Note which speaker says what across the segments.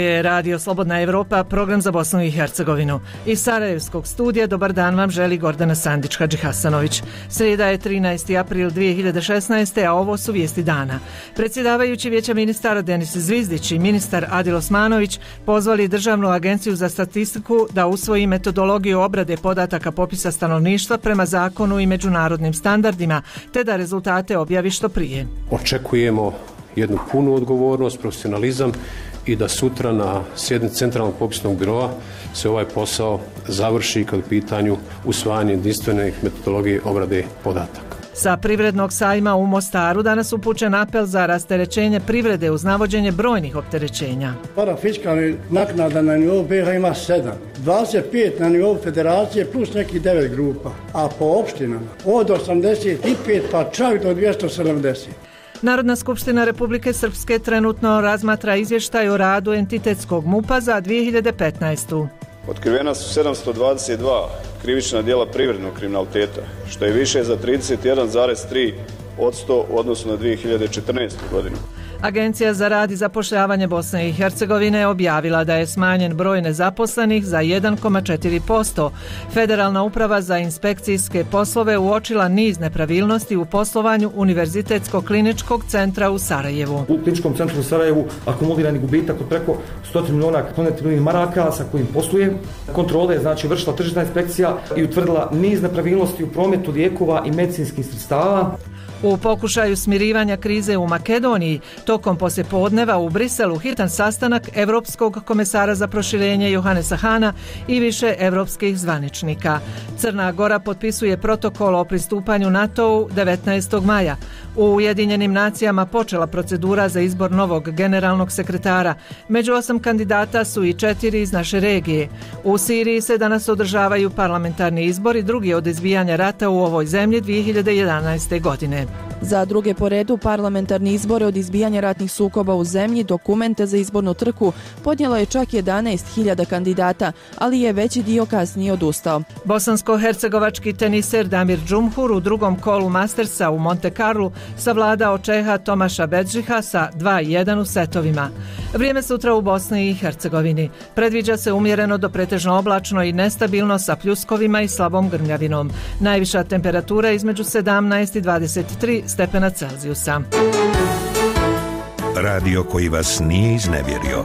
Speaker 1: je Radio Slobodna Evropa, program za Bosnu i Hercegovinu. Iz Sarajevskog studija dobar dan vam želi Gordana Sandić-Hadži Hasanović. Srijeda je 13. april 2016. a ovo su vijesti dana. Predsjedavajući Vijeća ministara Denis Zvizdić i ministar Adil Osmanović pozvali Državnu agenciju za statistiku da usvoji metodologiju obrade podataka popisa stanovništva prema zakonu i međunarodnim standardima, te da rezultate objavi što prije.
Speaker 2: Očekujemo jednu punu odgovornost, profesionalizam i da sutra na sjednici Centralnog popisnog biroa se ovaj posao završi kad u pitanju usvajanje jedinstvenih metodologije obrade podataka.
Speaker 1: Sa privrednog sajma u Mostaru danas upućen apel za rasterećenje privrede uz navođenje brojnih opterećenja.
Speaker 3: Parafiskalnih naknada na nivou BiH ima 7, 25 na nivou federacije plus nekih 9 grupa, a po opštinama od 85 pa čak do 270.
Speaker 1: Narodna skupština Republike Srpske trenutno razmatra izvještaj o radu entitetskog MUP-a za 2015.
Speaker 4: Otkrivena su 722 krivična djela privrednog kriminaliteta, što je više za 31,3% u odnosu na 2014. godinu.
Speaker 1: Agencija za rad i zapošljavanje Bosne i Hercegovine objavila da je smanjen broj nezaposlenih za 1,4%. Federalna uprava za inspekcijske poslove uočila niz nepravilnosti u poslovanju Univerzitetskog kliničkog centra u Sarajevu.
Speaker 5: U kliničkom centru u Sarajevu akumulirani gubitak od preko 100 miliona maraka sa kojim posluje. Kontrole je vršila tržišna inspekcija i utvrdila niz nepravilnosti u prometu lijekova i medicinskih sredstava.
Speaker 1: U pokušaju smirivanja krize u Makedoniji, tokom poslijepodneva u Briselu hitan sastanak Evropskog komesara za proširenje Johannesa Hana i više evropskih zvaničnika. Crna Gora potpisuje protokol o pristupanju NATO-u 19. maja. U Ujedinjenim nacijama počela procedura za izbor novog generalnog sekretara. Među 8 kandidata su i 4 iz naše regije. U Siriji se danas održavaju parlamentarni izbori, drugi od izbijanja rata u ovoj zemlji 2011. godine.
Speaker 6: Za druge po redu parlamentarni izbore od izbijanja ratnih sukoba u zemlji dokumente za izbornu trku podnijelo je čak 11.000 kandidata, ali je veći dio kasnije odustao.
Speaker 1: Bosansko-hercegovački teniser Damir Džumhur u drugom kolu Mastersa u Monte Carlu savladao Čeha Tomaša Bedžiha sa 2:1 u setovima. Vrijeme sutra u Bosni i Hercegovini. Predviđa se umjereno do pretežno oblačno i nestabilno sa pljuskovima i slabom grmljavinom. Najviša temperatura između 17 i 23 stepena Celzijusa.
Speaker 7: Radio koji vas nije iznevjerio.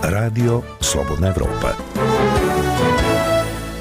Speaker 7: Radio Slobodna Evropa.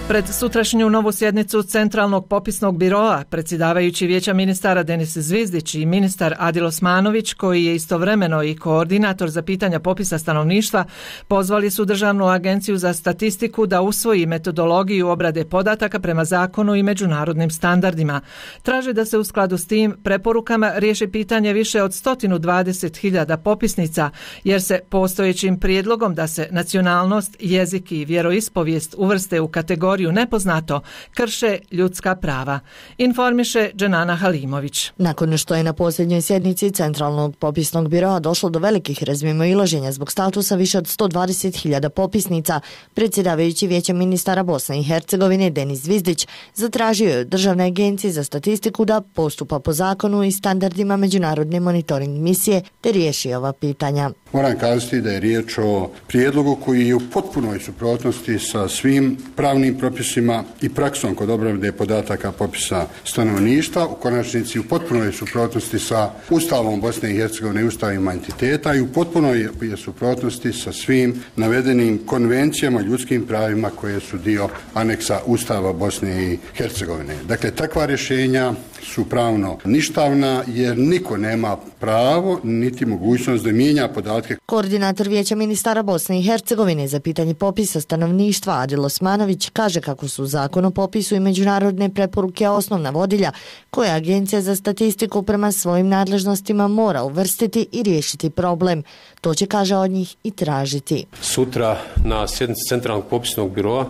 Speaker 1: Pred sutrašnju novu sjednicu Centralnog popisnog biroa predsjedavajući Vijeća ministara Denis Zvizdić i ministar Adil Osmanović, koji je istovremeno i koordinator za pitanja popisa stanovništva, pozvali su Državnu agenciju za statistiku da usvoji metodologiju obrade podataka prema zakonu i međunarodnim standardima. Traže da se u skladu s tim preporukama riješi pitanje više od 120.000 popisnica, jer se postojećim prijedlogom da se nacionalnost, jezik i vjeroispovijest uvrste u kategoriju nepoznato krše ljudska prava. Informiše Dženana Halimović.
Speaker 8: Nakon što je na posljednjoj sjednici Centralnog popisnog biroa došlo do velikih razmimoilaženja zbog statusa više od 120.000 popisnica, predsjedavajući Vijeća ministara Bosne i Hercegovine Denis Zvizdić zatražio je od Državne agencije za statistiku da postupa po zakonu i standardima međunarodne monitoring misije te riješi ova pitanja.
Speaker 9: Moram kazati da je riječ o prijedlogu koji je u potpunoj suprotnosti sa svim pravnim propisima i praksom kod obrade podataka popisa stanovništva, u konačnici u potpunoj suprotnosti sa Ustavom Bosne i Hercegovine i ustavima entiteta i u potpunoj je suprotnosti sa svim navedenim konvencijama ljudskim pravima koje su dio aneksa Ustava Bosne i Hercegovine. Dakle, takva rješenja su pravno ništavna jer niko nema pravo niti mogućnost da mijenja podatke.
Speaker 8: Koordinator Vijeća ministara Bosne i Hercegovine za pitanje popisa stanovništva Adil Osmanović kaže kako su zakon o popisu i međunarodne preporuke osnovna vodilja koje Agencija za statistiku prema svojim nadležnostima mora uvrstiti i riješiti problem. To će, kaže, od njih i tražiti.
Speaker 2: Sutra na sjednici Centralnog popisnog biroa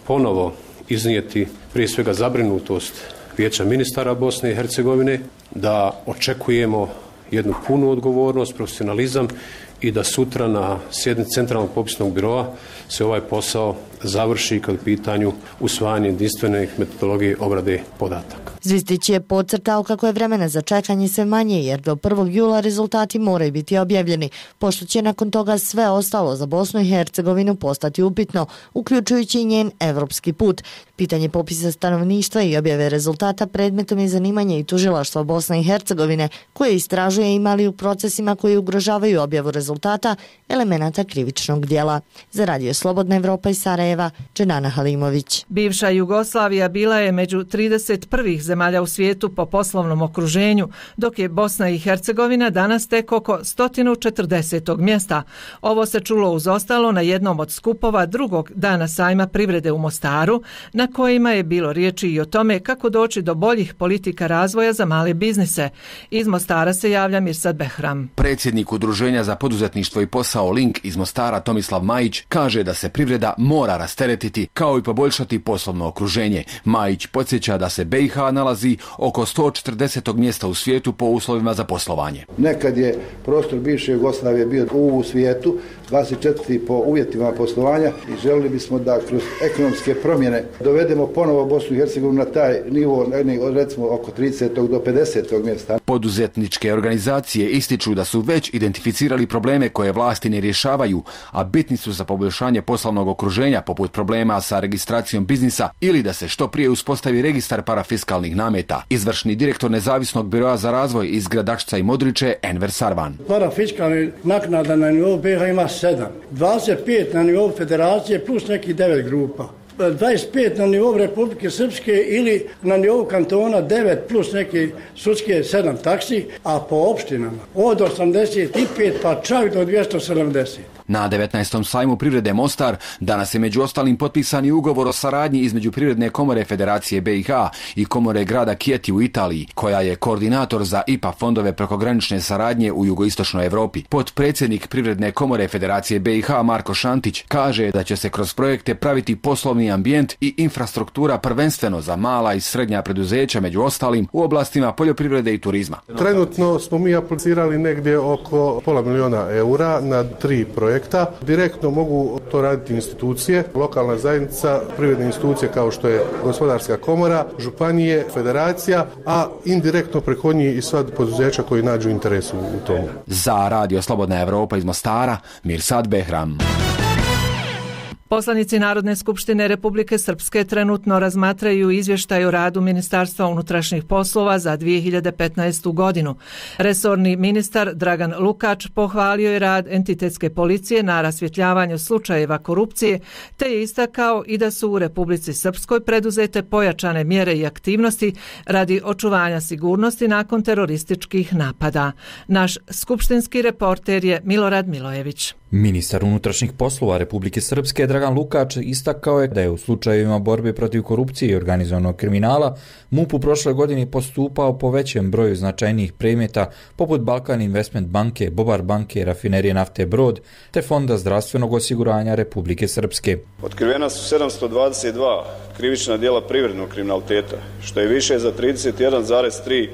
Speaker 2: ponovo iznijeti prije svega zabrinutost Vijeća ministara Bosne i Hercegovine, da očekujemo jednu punu odgovornost, profesionalizam i da sutra na sjednici Centralnog popisnog biroa se ovaj posao završi kad u pitanju usvajanje jedinstvenih metodologije obrade podataka.
Speaker 8: Zvizdić je podcrtao kako je vremena za čekanje sve manje jer do 1. jula rezultati moraju biti objavljeni, pošto će nakon toga sve ostalo za Bosnu i Hercegovinu postati upitno, uključujući i njen evropski put. Pitanje popisa stanovništva i objave rezultata predmetom je zanimanje i tužilaštva Bosne i Hercegovine, koje istražuje imali u procesima koji ugrožavaju objavu rezultata elemenata krivičnog djela. Za Radio Slobodna Evropa iz Sarajeva, Dženana Halimović.
Speaker 1: Bivša Jugoslavija bila je među 31 zemalja u svijetu po poslovnom okruženju, dok je Bosna i Hercegovina danas tek oko 140. mjesta. Ovo se čulo uz ostalo na jednom od skupova drugog dana sajma privrede u Mostaru, na kojima je bilo riječi i o tome kako doći do boljih politika razvoja za male biznise. Iz Mostara se javlja Mirsad Behram.
Speaker 10: Predsjednik Udruženja za poduzetništvo i posao Link iz Mostara Tomislav Majić kaže da se privreda mora rasteretiti kao i poboljšati poslovno okruženje. Majić podsjeća da se BiH nalazi oko 140. mjesta u svijetu po uslovima za poslovanje.
Speaker 11: Nekad je prostor bivše Jugoslavije bio u svijetu 24. po uvjetima poslovanja i želili bismo da kroz ekonomske promjene dovedemo ponovo Bosnu i Hercegovinu na taj nivo, recimo oko 30. do 50. mjesta.
Speaker 10: Poduzetničke organizacije ističu da su već identificirali probleme koje vlasti ne rješavaju, a bitni su za poboljšanje poslovnog okruženja poput problema sa registracijom biznisa ili da se što prije uspostavi registar parafiskalnih nameta. Izvršni direktor Nezavisnog biroa za razvoj iz Gradačca i Modriče, Enver Sarvan.
Speaker 3: Parafiskalnih naknada na nivou BiH ima 7, 25 na nivou federacije plus neki 9 grupa. 25 na nivou Republike Srpske ili na nivou kantona 9 plus neke sudske 7 taksi, a po opštinama od 85 pa čak do 270.
Speaker 10: Na 19. sajmu privrede Mostar danas je među ostalim potpisani ugovor o saradnji između Privredne komore Federacije BiH i Komore grada Chieti u Italiji, koja je koordinator za IPA fondove prekogranične saradnje u jugoistočnoj Europi. Potpredsjednik Privredne komore Federacije BiH Marko Šantić kaže da će se kroz projekte praviti poslovni ambijent i infrastruktura prvenstveno za mala i srednja preduzeća, među ostalim u oblastima poljoprivrede i turizma.
Speaker 12: Trenutno smo mi aplicirali negdje oko €500.000 na 3 projekta. Direktno mogu to raditi institucije, lokalna zajednica, privredne institucije kao što je Gospodarska komora, županije, federacija, a indirektno preko njih i sva poduzeća koji nađu interes u tomu.
Speaker 10: Za Radio Slobodna Evropa iz Mostara, Mirsad Behram.
Speaker 1: Poslanici Narodne skupštine Republike Srpske trenutno razmatraju izvještaj o radu Ministarstva unutrašnjih poslova za 2015. godinu. Resorni ministar Dragan Lukač pohvalio je rad entitetske policije na rasvjetljavanju slučajeva korupcije, te je istakao i da su u Republici Srpskoj preduzete pojačane mjere i aktivnosti radi očuvanja sigurnosti nakon terorističkih napada. Naš skupštinski reporter je Milorad Milojević.
Speaker 13: Ministar unutrašnjih poslova Republike Srpske Dragan Lukač istakao je da je u slučajevima borbe protiv korupcije i organizovanog kriminala MUP u prošle godini postupao po većem broju značajnijih predmeta poput Balkan Investment banke, Bobar banke, Rafinerije nafte Brod te Fonda zdravstvenog osiguranja Republike Srpske.
Speaker 4: Otkrivena su 722 krivična djela privrednog kriminaliteta, što je više za 31,3%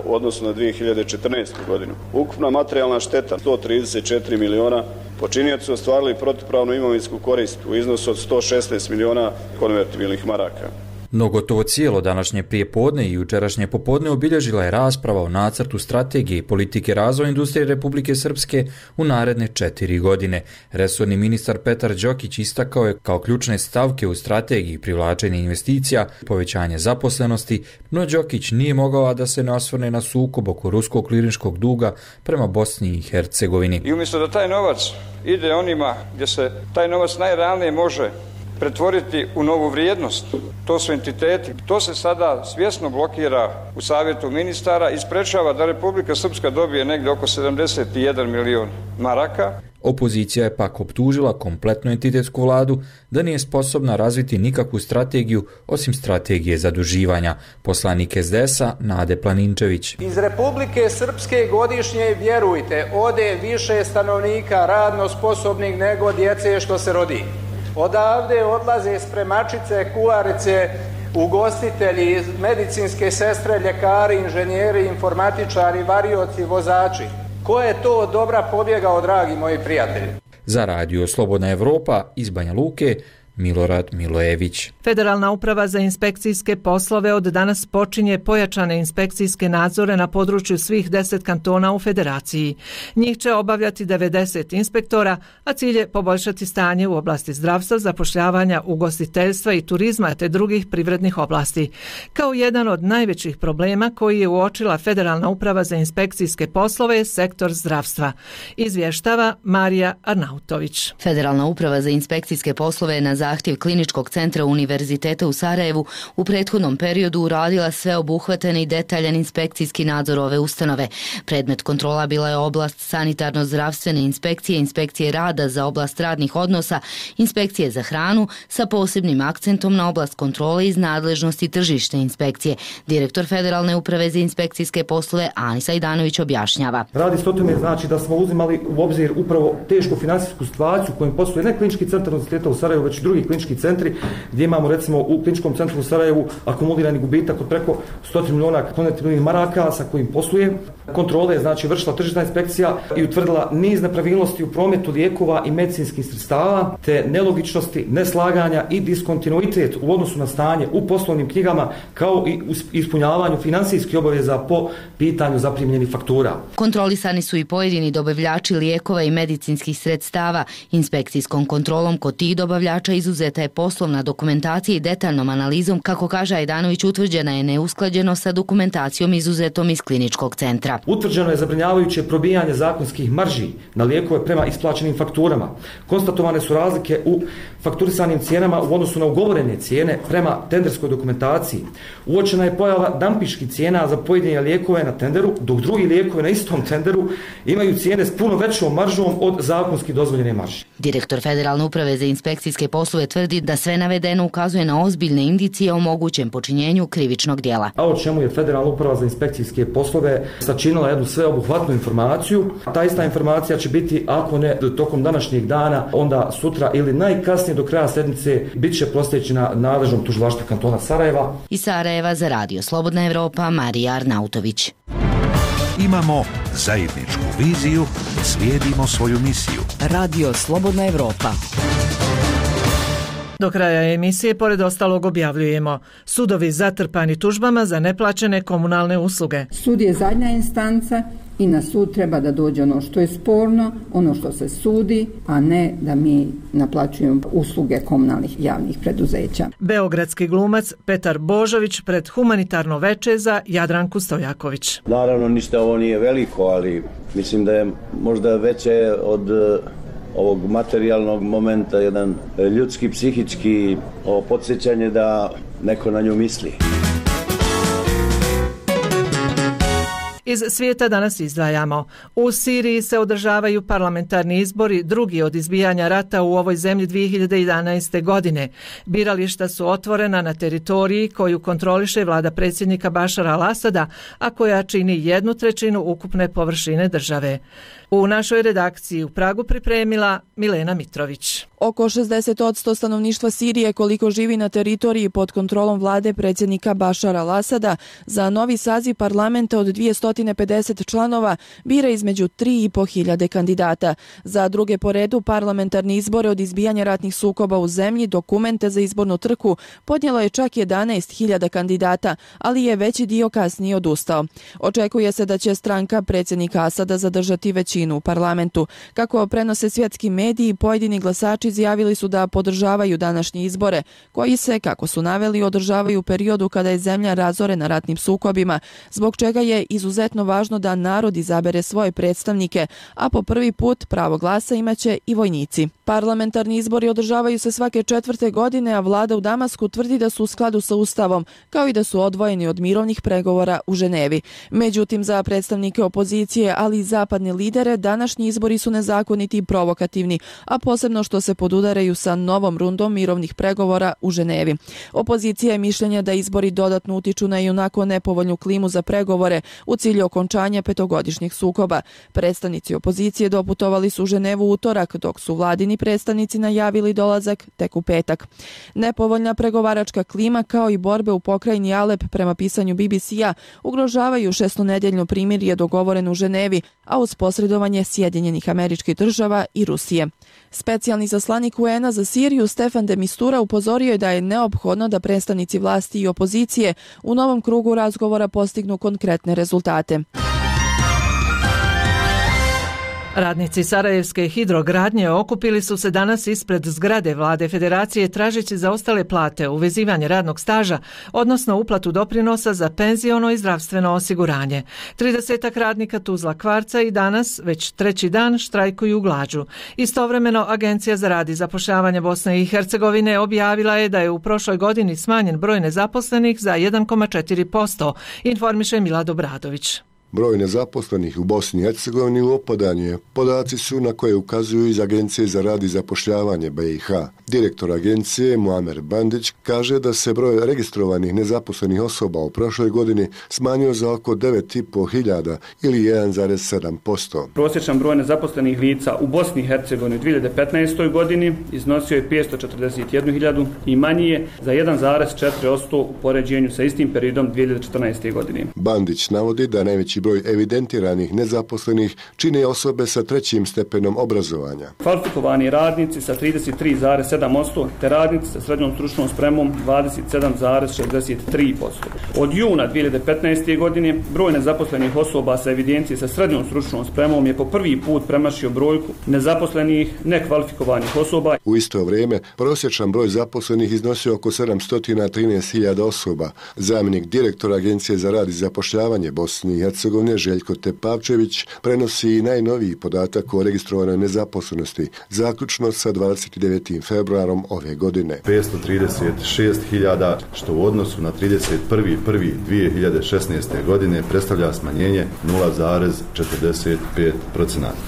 Speaker 4: u odnosu na 2014. godinu. Ukupna materijalna šteta 134 miliona, počinioci su ostvarili protupravnu imovinsku korist u iznosu od 116 miliona konvertibilnih maraka.
Speaker 13: No gotovo cijelo današnje prijepodne i jučerašnje popodne obilježila je rasprava o nacrtu strategije i politike razvoja industrije Republike Srpske u naredne 4 godine. Resorni ministar Petar Đokić istakao je kao ključne stavke u strategiji privlačenje investicija, povećanje zaposlenosti, no Đokić nije mogao a da se ne osvrne na sukob oko ruskog klirinškog duga prema Bosni i Hercegovini.
Speaker 14: I umjesto da taj novac ide onima gdje se taj novac najrealnije može pretvoriti u novu vrijednost. To su entiteti. To se sada svjesno blokira u Savjetu ministara i sprečava da Republika Srpska dobije negdje oko 71 milion maraka.
Speaker 13: Opozicija je pak optužila kompletnu entitetsku vladu da nije sposobna razviti nikakvu strategiju osim strategije zaduživanja. Poslanik SDS-a Nade Planinčević.
Speaker 15: Iz Republike Srpske godišnje, vjerujte, ode više stanovnika radno sposobnih nego djece što se rodi. Odavde odlaze spremačice, kuharice, ugostitelji, medicinske sestre, ljekari, inženjeri, informatičari, varioci, vozači. Ko je to dobra pobjegao, dragi moji prijatelji?
Speaker 13: Za radio Slobodna Evropa iz Banja Luke, Milorad Milojević.
Speaker 1: Federalna uprava za inspekcijske poslove od danas počinje pojačane inspekcijske nadzore na području svih 10 kantona u federaciji. Njih će obavljati 90 inspektora, a cilj je poboljšati stanje u oblasti zdravstva, zapošljavanja, ugostiteljstva i turizma te drugih privrednih oblasti. Kao jedan od najvećih problema koji je uočila Federalna uprava za inspekcijske poslove je sektor zdravstva. Izvještava Marija Arnautović.
Speaker 16: Federalna uprava za inspekcijske poslove je na zahtjev Kliničkog centra Univerziteta u Sarajevu u prethodnom periodu uradila sveobuhvatan i detaljan inspekcijski nadzor ove ustanove. Predmet kontrola bila je oblast sanitarno-zdravstvene inspekcije, inspekcije rada za oblast radnih odnosa, inspekcije za hranu sa posebnim akcentom na oblast kontrole iz nadležnosti tržišne inspekcije. Direktor Federalne uprave za inspekcijske poslove Anisa Idanović objašnjava.
Speaker 5: Radi se o tome znači da smo uzimali u obzir upravo tešku financijsku situaciju u kojem postoje ne Klinički centar Univerziteta u Sarajevu, već drugi klinički centri gdje imamo recimo u Kliničkom centru u Sarajevu akumulirani gubitak od preko 100 miliona maraka sa kojim posluje. Kontrole je znači vršila tržišna inspekcija i utvrdila niz nepravilnosti u prometu lijekova i medicinskih sredstava te nelogičnosti, neslaganja i diskontinuitet u odnosu na stanje u poslovnim knjigama kao i u ispunjavanju financijskih obaveza po pitanju zaprimljenih faktura.
Speaker 16: Kontrolisani su i pojedini dobavljači lijekova i medicinskih sredstava. Inspekcijskom kontrolom kod tih dobavljača izuzeta je poslovna dokumentacija i detaljnom analizom, kako kaže Ajdanović, utvrđena je neusklađenost sa dokumentacijom izuzetom iz Kliničkog centra.
Speaker 5: Utvrđeno je zabrinjavajuće probijanje zakonskih marži na lijekove prema isplaćenim fakturama. Konstatovane su razlike u fakturisanim cijenama u odnosu na ugovorene cijene prema tenderskoj dokumentaciji. Uočena je pojava dampiških cijena za pojedine lijekove na tenderu, dok drugi lijekovi na istom tenderu imaju cijene s puno većom maržom od zakonski dozvoljene marže.
Speaker 16: Direktor Federalne uprave za inspekcijske poslove tvrdi da sve navedeno ukazuje na ozbiljne indicije o mogućem počinjenju krivičnog djela.
Speaker 5: A o čemu je Federalna uprava za inspekcijske poslove sačinila jednu sveobuhvatnu informaciju. Ta ista informacija će biti, ako ne tokom današnjeg dana, onda sutra ili najkasnije do kraja sedmice bit će proslijeđena nadležnom tužilaštvu kantona Sarajeva.
Speaker 16: Iz Sarajeva za radio Slobodna Evropa, Marija Arnautović.
Speaker 7: Imamo zajedničku viziju, slijedimo svoju misiju.
Speaker 17: Radio Slobodna Evropa.
Speaker 1: Do kraja emisije, pored ostalog, objavljujemo: sudovi zatrpani tužbama za neplaćene komunalne usluge.
Speaker 18: Sud je zadnja instanca i na sud treba da dođe ono što je sporno, ono što se sudi, a ne da mi naplaćujemo usluge komunalnih javnih preduzeća.
Speaker 1: Beogradski glumac Petar Božović pred humanitarno veče za Jadranku Stojaković.
Speaker 19: Naravno, ništa ovo nije veliko, ali mislim da je možda veće od ovog materijalnog momenta, jedan ljudski, psihički podsjećanje da neko na nju misli.
Speaker 1: Iz svijeta danas izdvajamo: u Siriji se održavaju parlamentarni izbori, drugi od izbijanja rata u ovoj zemlji 2011. godine. Birališta su otvorena na teritoriji koju kontroliše vlada predsjednika Bašara al-Asada, a koja čini 1/3 ukupne površine države. U našoj redakciji u Pragu pripremila Milena Mitrović.
Speaker 6: Oko 60% stanovništva Sirije, koliko živi na teritoriji pod kontrolom vlade predsjednika Bašara al-Asada, za novi saziv parlamenta od 250 članova bira između 3.500 kandidata. Za druge po redu parlamentarni izbore od izbijanja ratnih sukoba u zemlji dokumente za izbornu trku podnijelo je čak 11.000 kandidata, ali je veći dio kasnije odustao. Očekuje se da će stranka predsjednika Asada zadržati većinu u parlamentu. Kako prenose svjetski mediji, pojedini glasači izjavili su da podržavaju današnje izbore, koji se, kako su naveli, održavaju u periodu kada je zemlja razorena ratnim sukobima, zbog čega je izuzetno važno da narod izabere svoje predstavnike, a po prvi put pravo glasa imaće i vojnici. Parlamentarni izbori održavaju se svake 4. godine, a vlada u Damasku tvrdi da su u skladu sa Ustavom, kao i da su odvojeni od mirovnih pregovora u Ženevi. Međutim, za predstavnike opozicije, ali i zapadne lidere, današnji izbori su nezakoniti i provokativni, a posebno što se podudaraju sa novom rundom mirovnih pregovora u Ženevi. Opozicija je mišljenja da izbori dodatno utiču na ionako nepovoljnu klimu za pregovore u cilju okončanja petogodišnjeg sukoba. Predstavnici opozicije doputovali su u Ženevu utorak, dok su vladini predstavnici najavili dolazak tek u petak. Nepovoljna pregovaračka klima kao i borbe u pokrajini Alep prema pisanju BBC-a ugrožavaju šestonedjeljno primirje dogovoreno u Ženevi, a uz posredovanje Sjedinjenih Američkih Država i Rusije. Specijalni zaslanik UN-a za Siriju Stefan de Mistura upozorio je da je neophodno da predstavnici vlasti i opozicije u novom krugu razgovora postignu konkretne rezultate.
Speaker 1: Radnici Sarajevske hidrogradnje okupili su se danas ispred zgrade Vlade Federacije tražeći zaostale plate, uvezivanje radnog staža, odnosno uplatu doprinosa za penziono i zdravstveno osiguranje. 30 radnika Tuzla Kvarca i danas, već treći dan, štrajkuju glađu. Istovremeno, Agencija za rad i zapošljavanje Bosne i Hercegovine objavila je da je u prošloj godini smanjen broj nezaposlenih za 1,4%, informiše Milad Obradović.
Speaker 20: Broj nezaposlenih u Bosni i Hercegovini u opadanju je. Podaci su na koje ukazuju iz Agencije za rad i zapošljavanje BiH. Direktor agencije Muamer Bandić kaže da se broj registrovanih nezaposlenih osoba u prošloj godini smanjio za oko 9.500 ili 1,7%.
Speaker 21: Prosječan broj nezaposlenih lica u Bosni i Hercegovini u 2015. godini iznosio je 541.000 i manji je za 1,4% u poređenju sa istim periodom 2014. godine.
Speaker 20: Bandić navodi da najveći broj evidentiranih nezaposlenih čine osobe sa trećim stepenom obrazovanja.
Speaker 21: Kvalifikovani radnici sa 33,7% te radnici sa srednjom stručnom spremom 27,63%. Od juna 2015. godine broj nezaposlenih osoba sa evidencije sa srednjom stručnom spremom je po prvi put premašio brojku nezaposlenih nekvalifikovanih osoba.
Speaker 20: U isto vrijeme prosječan broj zaposlenih iznosio oko 713.000 osoba. Zamjenik direktora Agencije za rad i zapošljavanje Bosne i Hercegovine Željko Tepavčević prenosi i najnoviji podatak o registrovanoj nezaposlenosti, zaključno sa 29. februarom ove godine.
Speaker 22: 536.000, što u odnosu na 31.1.2016. godine predstavlja smanjenje 0,45%,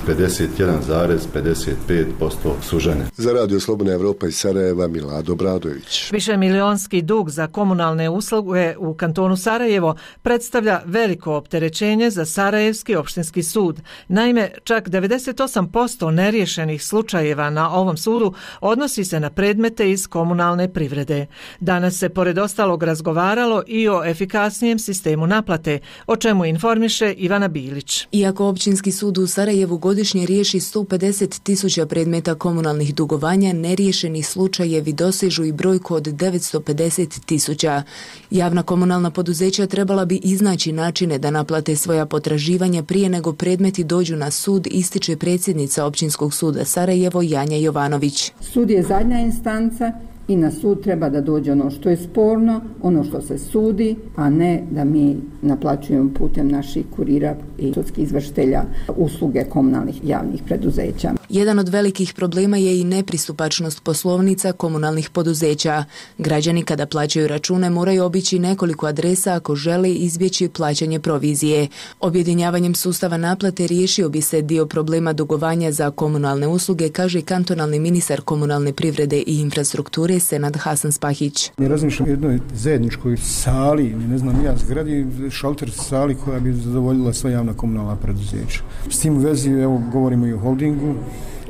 Speaker 22: 51,55% su žene.
Speaker 20: Za Radio Slobodna Evropa iz Sarajeva Milad Obradović.
Speaker 1: Višemilijonski dug za komunalne usluge u kantonu Sarajevo predstavlja veliko opterećenje za Sarajevski opštinski sud. Naime, čak 98% neriješenih slučajeva na ovom sudu odnosi se na predmete iz komunalne privrede. Danas se pored ostalog razgovaralo i o efikasnijem sistemu naplate, o čemu informiše Ivana Bilić.
Speaker 23: Iako općinski sud u Sarajevu godišnje riješi 150.000 predmeta komunalnih dugovanja, neriješeni slučajevi dosežu i brojku od 950.000. Javna komunalna poduzeća trebala bi iznaći načine da naplate svoja potraživanja prije nego predmeti dođu na sud, ističe predsjednica Općinskog suda Sarajevo Janja Jovanović.
Speaker 18: Sud je zadnja instanca i na sud treba da dođe ono što je sporno, ono što se sudi, a ne da mi naplaćujemo putem naših kurira i sudskih izvršitelja usluge komunalnih javnih preduzeća.
Speaker 23: Jedan od velikih problema je i nepristupačnost poslovnica komunalnih poduzeća. Građani kada plaćaju račune moraju obići nekoliko adresa ako žele izbjeći plaćanje provizije. Objedinjavanjem sustava naplate riješio bi se dio problema dugovanja za komunalne usluge, kaže kantonalni ministar komunalne privrede i infrastrukture Senad Hasan Spahić.
Speaker 24: Ne razmišljam o jednoj zajedničkoj sali, ne znam ja, zgradi, šalter sali koja bi zadovoljila sva javna komunalna preduzeća. S tim u vezi, evo, govorimo i o holdingu,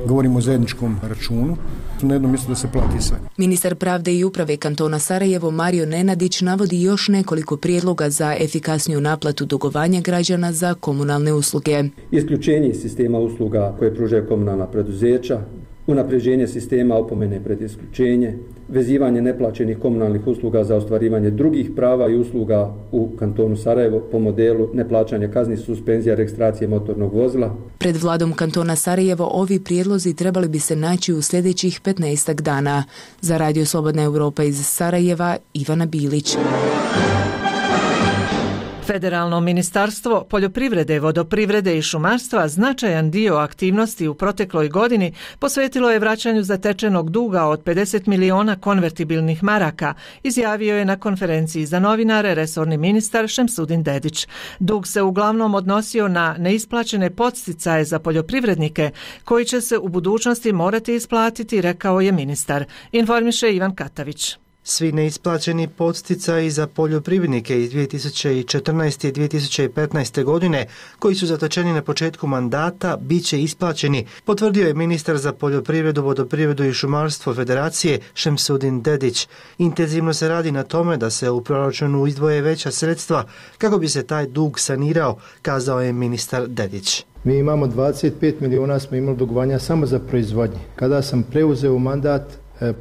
Speaker 24: govorimo o zajedničkom računu. Na jednom mjestu da se plati sve.
Speaker 23: Ministar pravde i uprave kantona Sarajevo Mario Nenadić navodi još nekoliko prijedloga za efikasniju naplatu dugovanja građana za komunalne usluge.
Speaker 25: Isključenje sistema usluga koje pružaju komunalna preduzeća, unapređenje sistema opomene pred isključenje, vezivanje neplaćenih komunalnih usluga za ostvarivanje drugih prava i usluga u kantonu Sarajevo po modelu neplaćanja kazni, suspenzija registracije motornog vozila.
Speaker 23: Pred vladom kantona Sarajevo ovi prijedlozi trebali bi se naći u sljedećih 15 dana. Za Radio Slobodna Evropa iz Sarajeva, Ivana Bilić.
Speaker 1: Federalno ministarstvo poljoprivrede, vodoprivrede i šumarstva značajan dio aktivnosti u protekloj godini posvetilo je vraćanju zatečenog duga od 50 miliona konvertibilnih maraka, izjavio je na konferenciji za novinare resorni ministar Šemsudin Dedić. Dug se uglavnom odnosio na neisplaćene podsticaje za poljoprivrednike koji će se u budućnosti morati isplatiti, rekao je ministar. Informiše Ivan Katavić.
Speaker 2: Svi neisplaćeni podsticaji za poljoprivrednike iz 2014. i 2015. godine, koji su zatečeni na početku mandata, bit će isplaćeni, potvrdio je ministar za poljoprivredu, vodoprivredu i šumarstvo Federacije Šemsudin Dedić. Intenzivno se radi na tome da se u proračunu izdvoje veća sredstva kako bi se taj dug sanirao, kazao je ministar Dedić.
Speaker 3: Mi imamo 25 miliona smo imali dugovanja samo za proizvodnje. Kada sam preuzeo mandat,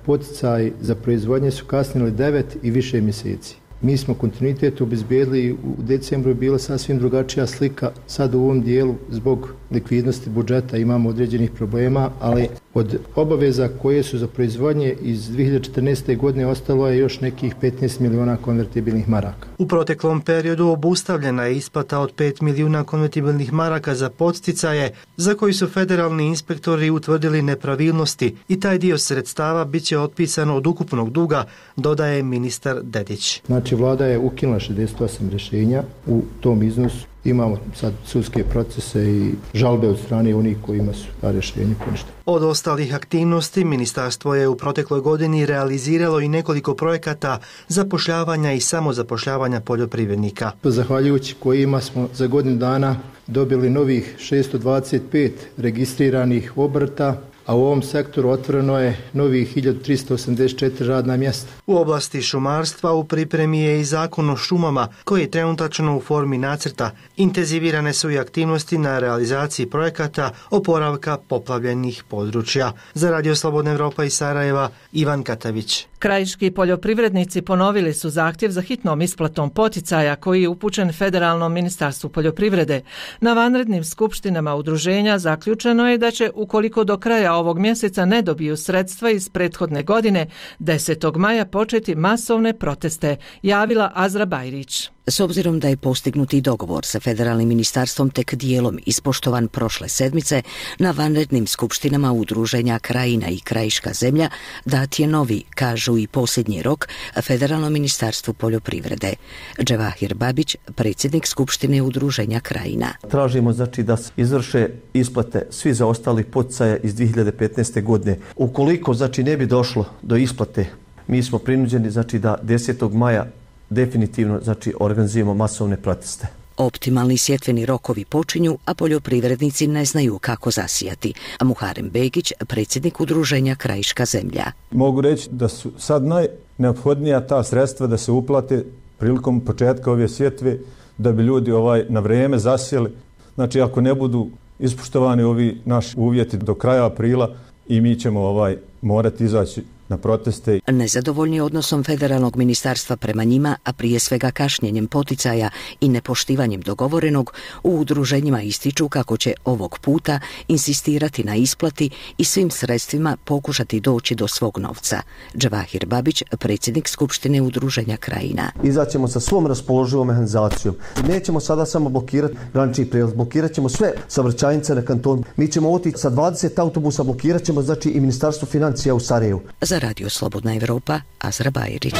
Speaker 3: poticaj za proizvodnje su kasnili 9 i više mjeseci. Mi smo kontinuitet obezbijedili, u decembru je bila sasvim drugačija slika, sad u ovom dijelu zbog likvidnosti budžeta imamo određenih problema, ali od obaveza koje su za proizvodnje iz 2014. godine ostalo je još nekih 15 miliona konvertibilnih maraka.
Speaker 2: U proteklom periodu obustavljena je isplata od 5 milijuna konvertibilnih maraka za podsticaje, za koji su federalni inspektori utvrdili nepravilnosti i taj dio sredstava bit će otpisan od ukupnog duga, dodaje ministar Dedić.
Speaker 3: Znači, vlada je ukinula 68 rješenja u tom iznosu. Imamo sad sudske procese i žalbe od strane onih kojima su ta rješenja poništena.
Speaker 2: Od ostalih aktivnosti, ministarstvo je u protekloj godini realiziralo i nekoliko projekata zapošljavanja i samozapošljavanja poljoprivrednika.
Speaker 3: Zahvaljujući kojima smo za godinu dana dobili novih 625 registriranih obrta, a u ovom sektoru otvoreno je novih 1384 radna mjesta.
Speaker 2: U oblasti šumarstva u pripremi je i zakon o šumama, koji je trenutačno u formi nacrta. Intenzivirane su i aktivnosti na realizaciji projekata oporavka poplavljenih područja. Za Radio Slobodna Evropa iz Sarajeva, Ivan Katavić.
Speaker 1: Krajiški poljoprivrednici ponovili su zahtjev za hitnom isplatom poticaja koji je upućen Federalnom ministarstvu poljoprivrede. Na vanrednim skupštinama udruženja zaključeno je da će, ukoliko do kraja ovog mjeseca ne dobiju sredstva iz prethodne godine, 10. maja početi masovne proteste, javila Azra Bajrić.
Speaker 8: S obzirom da je postignuti dogovor sa federalnim ministarstvom tek dijelom ispoštovan prošle sedmice, na vanrednim skupštinama udruženja Krajina i Krajiška zemlja dat je novi, kažu i posljednji rok, Federalno ministarstvo poljoprivrede. Dževahir Babić, predsjednik skupštine udruženja Krajina.
Speaker 9: Tražimo znači da se izvrše isplate svi zaostali poticaja iz 2015. godine. Ukoliko znači ne bi došlo do isplate, mi smo prinuđeni znači da 10. maja definitivno znači organizujemo masovne proteste.
Speaker 8: Optimalni sjetveni rokovi počinju, a poljoprivrednici ne znaju kako zasijati. A Muharem Begić, predsjednik udruženja Krajiška zemlja.
Speaker 11: Mogu reći da su sad najneophodnija ta sredstva da se uplate prilikom početka ove sjetve, da bi ljudi na vrijeme zasijeli. Znači, ako ne budu ispoštovani ovi naši uvjeti do kraja aprila, i mi ćemo morati izaći na proteste.
Speaker 8: Nezadovoljni odnosom federalnog ministarstva prema njima, a prije svega kašnjenjem poticaja i nepoštivanjem dogovorenog, u udruženjima ističu kako će ovog puta insistirati na isplati i svim sredstvima pokušati doći do svog novca. Dževahir Babić, predsjednik skupštine udruženja Krajina.
Speaker 9: Izaćemo sa svom raspoloživom mehanizacijom. Nećemo sada samo blokirati granični prijelaz, blokirat ćemo sve saobraćajnice na kantonu. Mi ćemo otići sa 20 autobusa, blokirat ćemo znači i Ministarstvo financija u Sarajevu.
Speaker 8: Za Radio Slobodna Evropa, Azra Bajrić.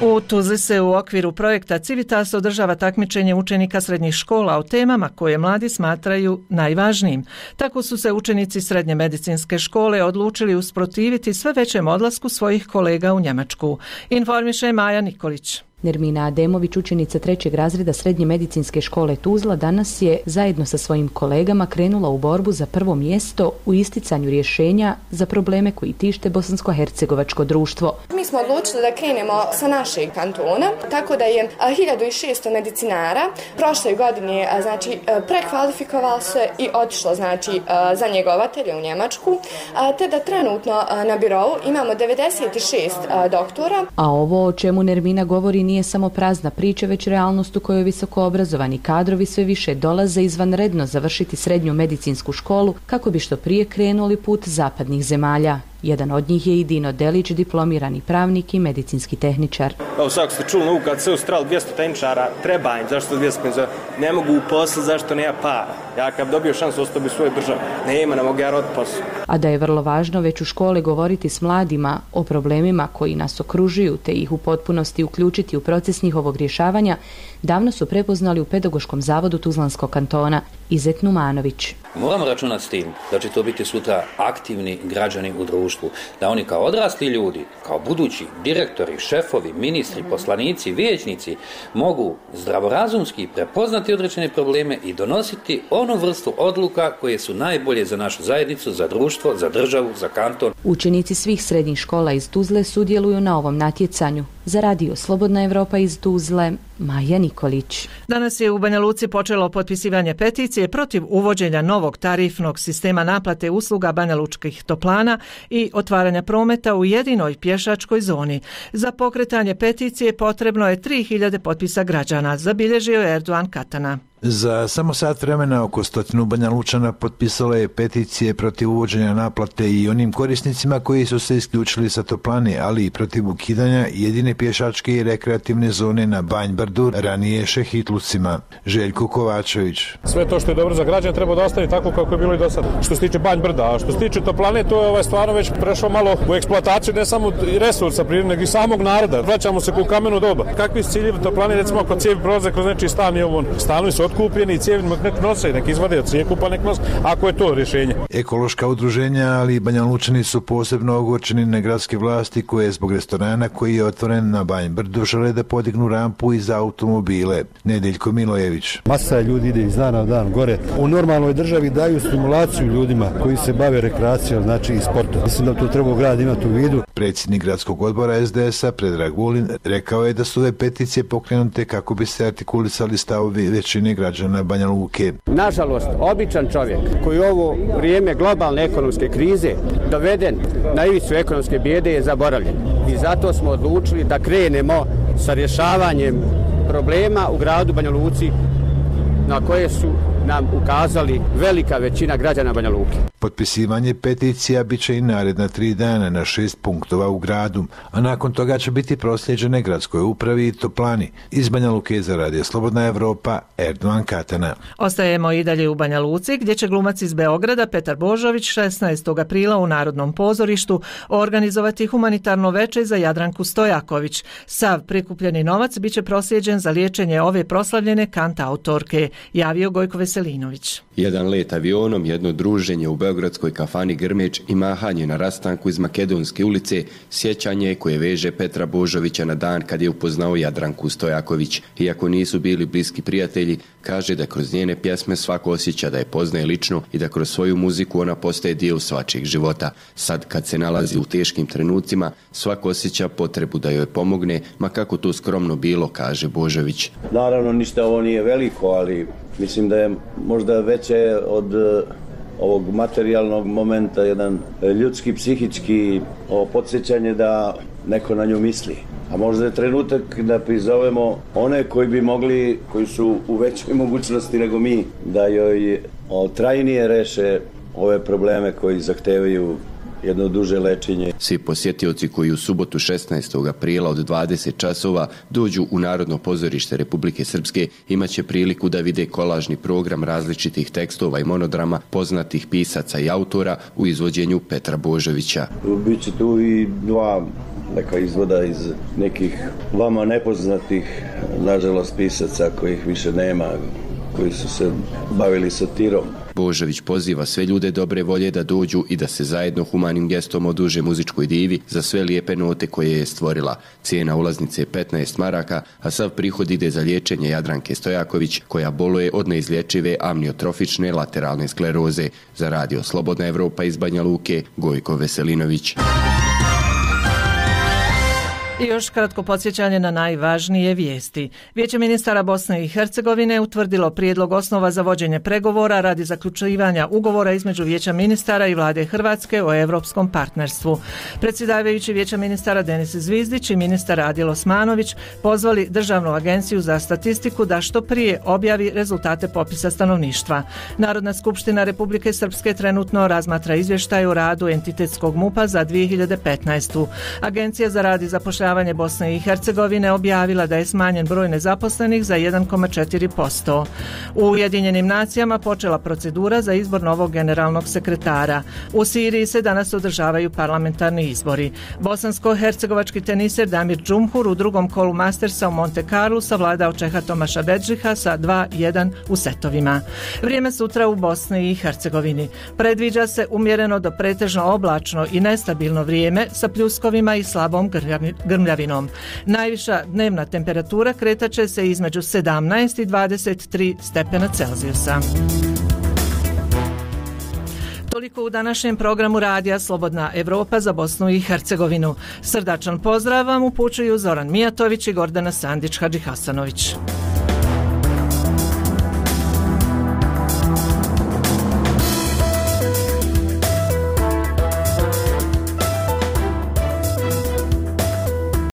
Speaker 1: U Tuzli se u okviru projekta Civitas održava takmičenje učenika srednjih škola o temama koje mladi smatraju najvažnijim. Tako su se učenici srednje medicinske škole odlučili usprotiviti sve većem odlasku svojih kolega u Njemačku. Informiše Maja Nikolić.
Speaker 26: Nermina Ademović, učenica 3. razreda Srednje medicinske škole Tuzla, danas je zajedno sa svojim kolegama krenula u borbu za prvo mjesto u isticanju rješenja za probleme koji tište bosansko-hercegovačko društvo.
Speaker 27: Mi smo odlučili da krenemo sa našeg kantona, tako da je 1600 medicinara prošle godine prekvalifikovalo se i otišlo za njegovatelje u Njemačku, te da trenutno na birovu imamo 96 doktora.
Speaker 26: A ovo o čemu Nermina govori nije samo prazna priča, već realnost u kojoj visokoobrazovani kadrovi sve više dolaze izvanredno završiti srednju medicinsku školu kako bi što prije krenuli put zapadnih zemalja. Jedan od njih je i Dino Delić, diplomirani pravnik i medicinski tehničar.
Speaker 4: Evo, svako ste čuli, kad se ustrali 200 tehničara, treba im, zašto 200, ne mogu uposliti, zašto nema para. Ja kad dobio šansu ostao bi svoju državu, ne mogu ja roditi posao.
Speaker 26: A da je vrlo važno već u škole govoriti s mladima o problemima koji nas okružuju te ih u potpunosti uključiti u proces njihovog rješavanja, davno su prepoznali u Pedagoškom zavodu Tuzlanskog kantona. Izet Numanović.
Speaker 5: Moramo računati s tim da će to biti sutra aktivni građani u društvu, da oni kao odrasli ljudi, kao budući direktori, šefovi, ministri, poslanici, vijećnici mogu zdravorazumski prepoznati određene probleme i donositi onu vrstu odluka koje su najbolje za našu zajednicu, za društvo, za državu, za kanton.
Speaker 26: Učenici svih srednjih škola iz Tuzle sudjeluju na ovom natjecanju. Za Radio Slobodna Evropa iz Tuzle, Maja Nikolić.
Speaker 1: Danas je u Banja Luci počelo potpisivanje peticije protiv uvođenja novog tarifnog sistema naplate usluga banjalučkih toplana i otvaranja prometa u jedinoj pješačkoj zoni. Za pokretanje peticije potrebno je 3000 potpisa građana, zabilježio je Erdogan Katana.
Speaker 10: Za samo sat vremena oko 100 Banja Lučana potpisalo je peticije protiv uvođenja naplate i onim korisnicima koji su se isključili sa toplane, ali i protiv ukidanja jedine pješačke i rekreativne zone na Banj Brdu, ranije Šehitlucima. Željko Kovačević.
Speaker 12: Sve to što je dobro za građane treba da ostavi tako kako je bilo i do sada. Što se tiče Banj Brda, a što se tiče toplane, to je stvarno već prešlo malo u eksploataciju ne samo resursa prirodnog, nego i samog naroda. Vraćamo se u kameno doba. Kakvi su ciljevi toplane, recimo ako cijevi prolaze kroz nečiji stan i ovo, stanovi su kupljeni i cijevi nek nose, nek izvade od cijeku pa nek nose, ako je to rješenje.
Speaker 10: Ekološka udruženja, ali i Banja Lučani su posebno ogorčeni na gradske vlasti koje zbog restorana koji je otvoren na Banj Brdu žele da podignu rampu i za automobile. Nedeljko Milojević.
Speaker 13: Masa ljudi ide iz dana u dan gore. U normalnoj državi daju stimulaciju ljudima koji se bave rekreacijom, znači i sportom. Mislim da to treba grad imati u vidu.
Speaker 10: Predsjednik gradskog odbora SDS-a Predrag Vulin rekao je da su ove peticije pokrenute kako bi se artikulisali stavovi većine građana Banja Luke.
Speaker 14: Nažalost, običan čovjek koji u ovo vrijeme globalne ekonomske krize doveden na ivicu ekonomske bijede je zaboravljen. I zato smo odlučili da krenemo sa rješavanjem problema u gradu Banja Luci na koje su nam ukazali velika većina građana Banja Luke.
Speaker 10: Potpisivanje peticija bit će i naredna 3 dana na 6 punktova u gradu, a nakon toga će biti prosljeđene gradskoj upravi i toplani. Iz Banja Luke za Radio Slobodna Evropa, Erdogan Katana.
Speaker 1: Ostajemo i dalje u Banja Luci, gdje će glumac iz Beograda Petar Božović 16. aprila u Narodnom pozorištu organizovati humanitarno veče za Jadranku Stojaković. Sav prikupljeni novac bit će prosljeđen za liječenje ove proslavljene kantautorke, javio Gojko Veselinović.
Speaker 15: Jedan let avionom, jedno druženje u beogradskoj kafani Grmeč i mahanje na rastanku iz Makedonske ulice, sjećanje koje veže Petra Božovića na dan kad je upoznao Jadranku Stojaković. Iako nisu bili bliski prijatelji, kaže da kroz njene pjesme svako osjeća da je poznaje lično i da kroz svoju muziku ona postaje dio svačijeg života. Sad kad se nalazi u teškim trenucima, svako osjeća potrebu da joj pomogne, ma kako to skromno bilo, kaže Božović.
Speaker 19: Naravno, ništa ovo nije veliko, ali mislim da je možda veće od ovog materijalnog momenta jedan ljudski, psihički podsjećanje da neko na nju misli. A možda je trenutak da prizovemo one koji bi mogli, koji su u većoj mogućnosti nego mi, da joj trajnije reše ove probleme koji zahtevaju jedno duže lečenje.
Speaker 15: Svi posjetioci koji u subotu 16. aprila od 20 časova dođu u Narodno pozorište Republike Srpske imaće priliku da vide kolažni program različitih tekstova i monodrama poznatih pisaca i autora u izvođenju Petra Božovića.
Speaker 19: Biće tu i dva neka izvoda iz nekih vama nepoznatih, nažalost, pisaca kojih više nema, koji su se bavili satirom.
Speaker 15: Božović poziva sve ljude dobre volje da dođu i da se zajedno humanim gestom oduže muzičkoj divi za sve lijepe note koje je stvorila. Cijena ulaznice je 15 maraka, a sav prihod ide za liječenje Jadranke Stojaković, koja boluje od neizlječive amniotrofične lateralne skleroze. Za Radio Slobodna Evropa iz Banja Luke, Gojko Veselinović.
Speaker 1: I još kratko podsjećanje na najvažnije vijesti. Vijeće ministara Bosne i Hercegovine utvrdilo prijedlog osnova za vođenje pregovora radi zaključivanja ugovora između Vijeća ministara i Vlade Hrvatske o europskom partnerstvu. Predsjedavajući Vijeća ministara Denis Zvizdić i ministar Adil Osmanović pozvali Državnu agenciju za statistiku da što prije objavi rezultate popisa stanovništva. Narodna skupština Republike Srpske trenutno razmatra izvještaj o radu entitetskog MUP-a za 2015. Agencija za rad i zapošljavanje Bosne i Hercegovine objavila da je smanjen broj nezaposlenih za 1,4%. U Ujedinjenim nacijama počela procedura za izbor novog generalnog sekretara. U Siriji se danas održavaju parlamentarni izbori. Bosansko-hercegovački teniser Damir Džumhur u drugom kolu Mastersa u Monte Carlu savladao Čeha Tomaša Bedžiha sa 2-1 u setovima. Vrijeme sutra u Bosni i Hercegovini. Predviđa se umjereno do pretežno oblačno i nestabilno vrijeme sa pljuskovima i slabom grmljavinom. Najviša dnevna temperatura kretaće se između 17 i 23 stepena Celzijusa. Toliko u današnjem programu radija Slobodna Evropa za Bosnu i Hercegovinu. Srdačan pozdrav vam upućuju Zoran Mijatović i Gordana Sandić-Hadžihasanović.